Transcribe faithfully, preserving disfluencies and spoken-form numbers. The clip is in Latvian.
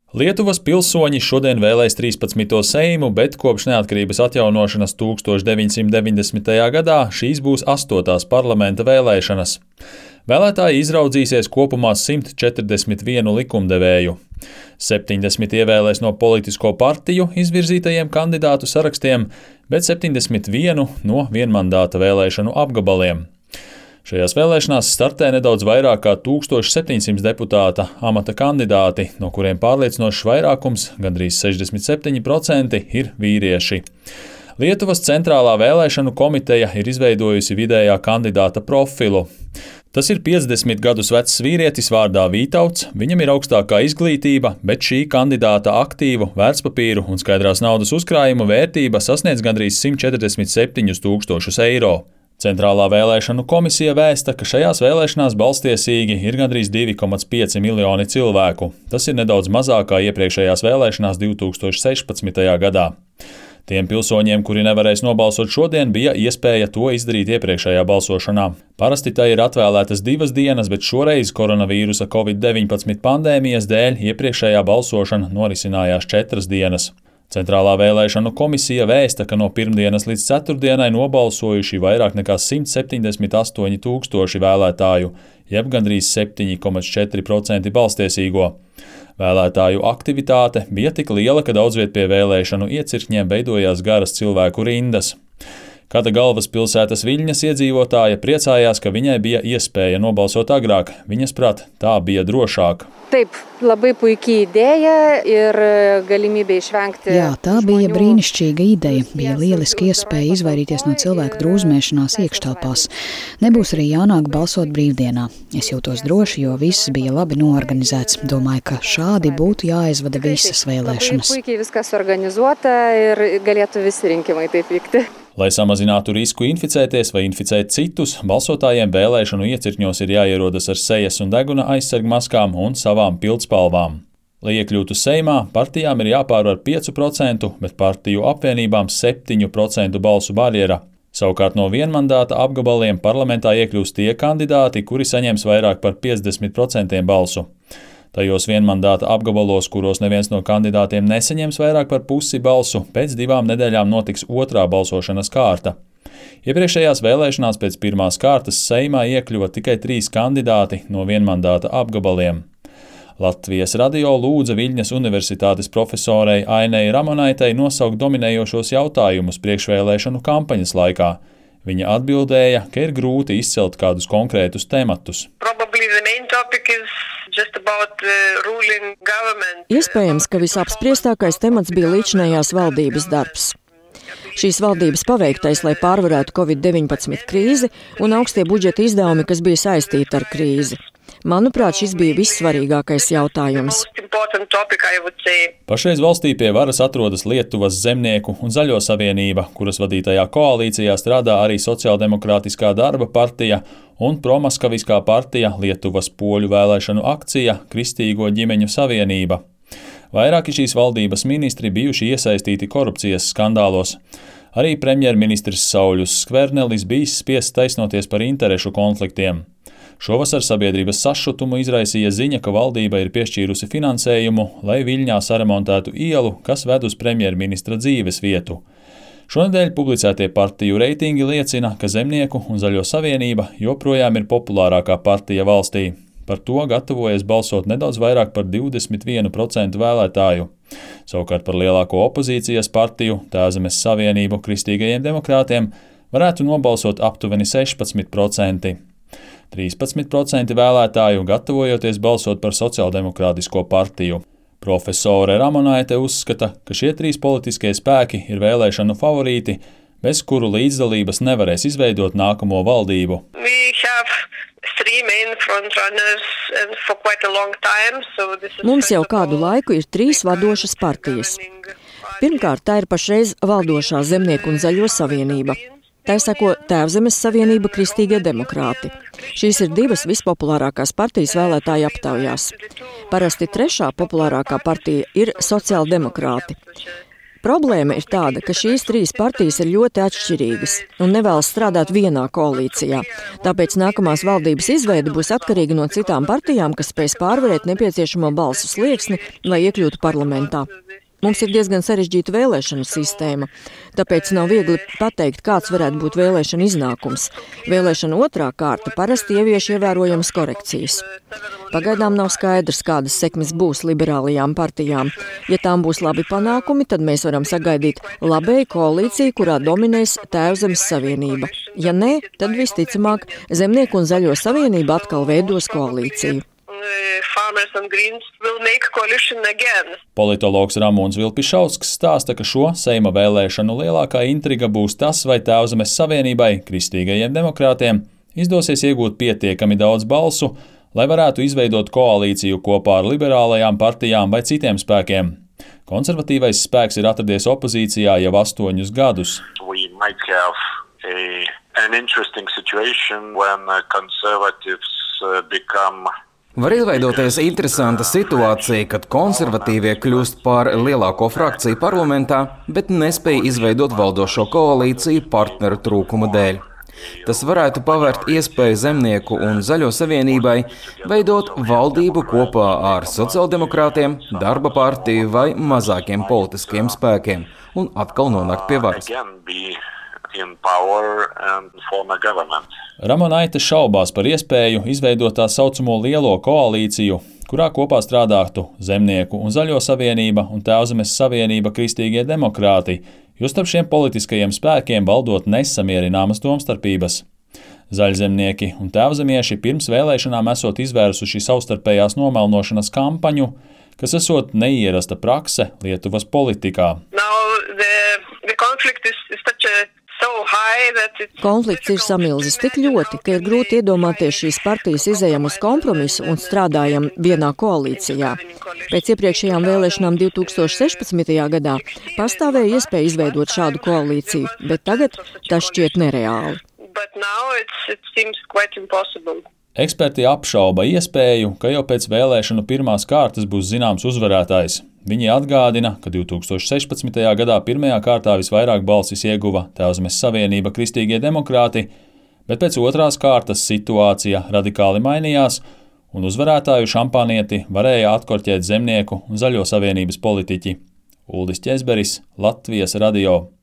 Lietuvas pilsoņi šodien vēlēs trīspadsmito Seimu, bet kopš neatkarības atjaunošanas tuksstoš deviņsimt deviņdesmitajā gadā šīs būs astotās parlamenta vēlēšanas. Vēlētāji izraudzīsies kopumā simt četrdesmit vienu likumdevēju. septiņdesmit ievēlēs no politisko partiju izvirzītajiem kandidātu sarakstiem, bet septiņdesmit vienu no vienmandāta vēlēšanu apgabaliem. Šajās vēlēšanās startē nedaudz vairāk kā tūkstoš septiņsimt deputāta amata kandidāti, no kuriem pārliecinošs vairākums, gandrīz sešdesmit septiņi procenti, ir vīrieši. Lietuvas centrālā vēlēšanu komiteja ir izveidojusi vidējā kandidāta profilu. Tas ir piecdesmit gadus vecs vīrietis vārdā Vītauts, viņam ir augstākā izglītība, bet šī kandidāta aktīvu, vērtspapīru un skaidrās naudas uzkrājumu vērtība sasniedz gandrīz simt četrdesmit septiņus tūkstošus eiro. Centrālā vēlēšanu komisija vēsta, ka šajās vēlēšanās balstiesīgi ir gandrīz divi komats pieci miljoni cilvēku. Tas ir nedaudz mazāk kā iepriekšējās vēlēšanās divi tūkstoši sešpadsmitajā gadā. Tiem pilsoņiem, kuri nevarēs nobalsot šodien, bija iespēja to izdarīt iepriekšējā balsošanā. Parasti tai ir atvēlētas divas dienas, bet šoreiz koronavīrusa covid deviņpadsmit pandēmijas dēļ iepriekšējā balsošana norisinājās četras dienas. Centrālā vēlēšanu komisija vēsta, ka no pirmdienas līdz ceturtdienai nobalsojuši vairāk nekā simt septiņdesmit astoņi tūkstoši vēlētāju, jeb gandrīz septiņi komats četri procenti balstiesīgo. Vēlētāju aktivitāte bija tik liela, ka daudzviet pie vēlēšanu iecirkņiem veidojās garas cilvēku rindas. Kāda galvaspilsētas Viļņas iedzīvotāja priecājās, ka viņai bija iespēja nobalsot agrāk. Viņas prāt, tā bija drošāk. Taip, labai puikiai ideja ir galimybė išvengti. Jā, tā bija brīnišķīga ideja. Bija lieliski iespēja izvairīties no cilvēku drūzmēšanās iekštelpās. Nebūs arī jānāk balsot brīvdienā. Es jūtos droši, jo viss bija labi noorganizēts. Domāju, ka šādi būtu jāizvada visas vēlēšanas. Labai puikiai viskas organizuota ir galėtų visi rinkimai taip vykti. Lai samazinātu risku inficēties vai inficēt citus, balsotājiem vēlēšanu iecirkņos ir jāierodas ar sejas un deguna aizsargmaskām un savām pildspalvām. Lai iekļūtu Seimā, partijām ir jāpārvar pieci procenti, bet partiju apvienībām septiņu procentu balsu barjera. Savukārt no vienmandāta apgabaliem parlamentā iekļūst tie kandidāti, kuri saņems vairāk par piecdesmit procentiem balsu. Tajos vienmandāta apgabalos, kuros neviens no kandidātiem nesaņems vairāk par pusi balsu, pēc divām nedēļām notiks otrā balsošanas kārta. Iepriekšējās vēlēšanās pēc pirmās kārtas Seimā iekļuva tikai trīs kandidāti no vienmandāta apgabaliem. Latvijas radio lūdza Viļņas universitātes profesorei Ainei Ramonaitei nosaukt dominējošos jautājumus priekšvēlēšanu kampaņas laikā. Viņa atbildēja, ka ir grūti izcelt kādus konkrētus tematus. Iespējams, ka visapspriestākais temats bija līdzinājās valdības darbs. Šīs valdības paveiktais, lai pārvarētu covid deviņpadsmit krīzi un augstie budžeta izdevumi, kas bija saistīti ar krīzi. Manuprāt, šis bija vissvarīgākais jautājums. Pašreiz valstī pie varas atrodas Lietuvas Zemnieku un Zaļo savienība, kuras vadītajā koalīcijā strādā arī Sociāldemokrātiskā darba partija un promaskaviskā partija Lietuvas poļu vēlēšanu akcija Kristīgo ģimeņu savienība. Vairāki šīs valdības ministri bijuši iesaistīti korupcijas skandālos. Arī premjerministrs Sauļus Skvernelis bijis spiests taisnoties par interešu konfliktiem. Šovasar sabiedrības sašutumu izraisīja ziņa, ka valdība ir piešķīrusi finansējumu, lai Viļņā saremontētu ielu, kas ved uz premjerministra dzīves vietu. Šonedēļ publicētie partiju reitingi liecina, ka Zemnieku un Zaļo savienība joprojām ir populārākā partija valstī. Par to gatavojas balsot nedaudz vairāk par divdesmit vienu procentu vēlētāju. Savukārt par lielāko opozīcijas partiju, Tēzemes savienību kristīgajiem demokrātiem, varētu nobalsot aptuveni sešpadsmit procenti. trīspadsmit procenti vēlētāju gatavojoties balsot par Sociāldemokrātisko partiju. Profesore Ramonaite uzskata, ka šie trīs politiskie spēki ir vēlēšanu favorīti, bez kuru līdzdalības nevarēs izveidot nākamo valdību. Mums jau kādu laiku ir trīs vadošas partijas. Pirmkārt, tā ir pašreiz valdošā Zemnieku un Zaļo savienība. Tā sako Tēvzemes savienība Kristīgie demokrāti. Šīs ir divas vispopulārākās partijas vēlētāju aptaujās. Parasti trešā populārākā partija ir Sociāldemokrāti. Problēma ir tāda, ka šīs trīs partijas ir ļoti atšķirīgas un nevēlas strādāt vienā koalīcijā. Tāpēc nākamās valdības izveide būs atkarīga no citām partijām, kas spēs pārvarēt nepieciešamo balsu slieksni, lai iekļūtu parlamentā. Mums ir diezgan sarežģīta vēlēšanu sistēma, tāpēc nav viegli pateikt, kāds varētu būt vēlēšana iznākums. Vēlēšana otrā kārta parasti ievieš ievērojamas korekcijas. Pagaidām nav skaidrs, kādas sekmes būs liberālajām partijām. Ja tām būs labi panākumi, tad mēs varam sagaidīt labēju koalīciju, kurā dominēs Tēvzemes savienība. Ja nē, tad visticamāk Zemnieku un Zaļo savienība atkal veidos koalīciju. Politologs Ramons Vilpišausks stāsta, ka šo Seima vēlēšanu lielākā intriga būs tas, vai Tēvzemes savienībai, kristīgajiem demokrātiem, izdosies iegūt pietiekami daudz balsu, lai varētu izveidot koalīciju kopā ar liberālajām partijām vai citiem spēkiem. Konservatīvais spēks ir atradies opozīcijā jau astoņus gadus. Var izveidoties interesanta situācija, kad konservatīvie kļūst par lielāko frakciju parlamentā, bet nespēj izveidot valdošo koalīciju partneru trūkuma dēļ. Tas varētu pavērt iespēju Zemnieku un Zaļo savienībai veidot valdību kopā ar sociāldemokrātiem, darba partiju vai mazākiem politiskiem spēkiem un atkal nonākt pie varas. Ramonaite šaubās par iespēju izveidot tā saucamo lielo koalīciju, kurā kopā strādātu Zemnieku un Zaļo savienība un Tēvzemes savienība kristīgie demokrāti, jo starp šiem politiskajiem spēkiem valdot nesamierināmas domstarpības. Zaļzemnieki un tēvzemieši pirms vēlēšanām esot izvērsuši savstarpējās nomelnošanas kampaņu, kas esot neierasta prakse Lietuvas politikā. Konflikts ir samilzis tik ļoti, ka ir grūti iedomāties šīs partijas izejam uz kompromisu un strādājam vienā koalīcijā. Pēc iepriekšējām vēlēšanām divi tūkstoši sešpadsmitajā gadā pastāvēja iespēja izveidot šādu koalīciju, bet tagad tas šķiet nereāli. Eksperti apšauba iespēju, ka jau pēc vēlēšanu pirmās kārtas būs zināms uzvarētājs. Viņi atgādina, ka divi tūkstoši sešpadsmitajā gadā pirmajā kārtā visvairāk balsis ieguva Tēvzemes savienība kristīgie demokrāti, bet pēc otrās kārtas situācija radikāli mainījās, un uzvarētāju šampanieti varēja atkorķēt Zemnieku un Zaļo savienības politiķi. Uldis Ķezberis, Latvijas radio.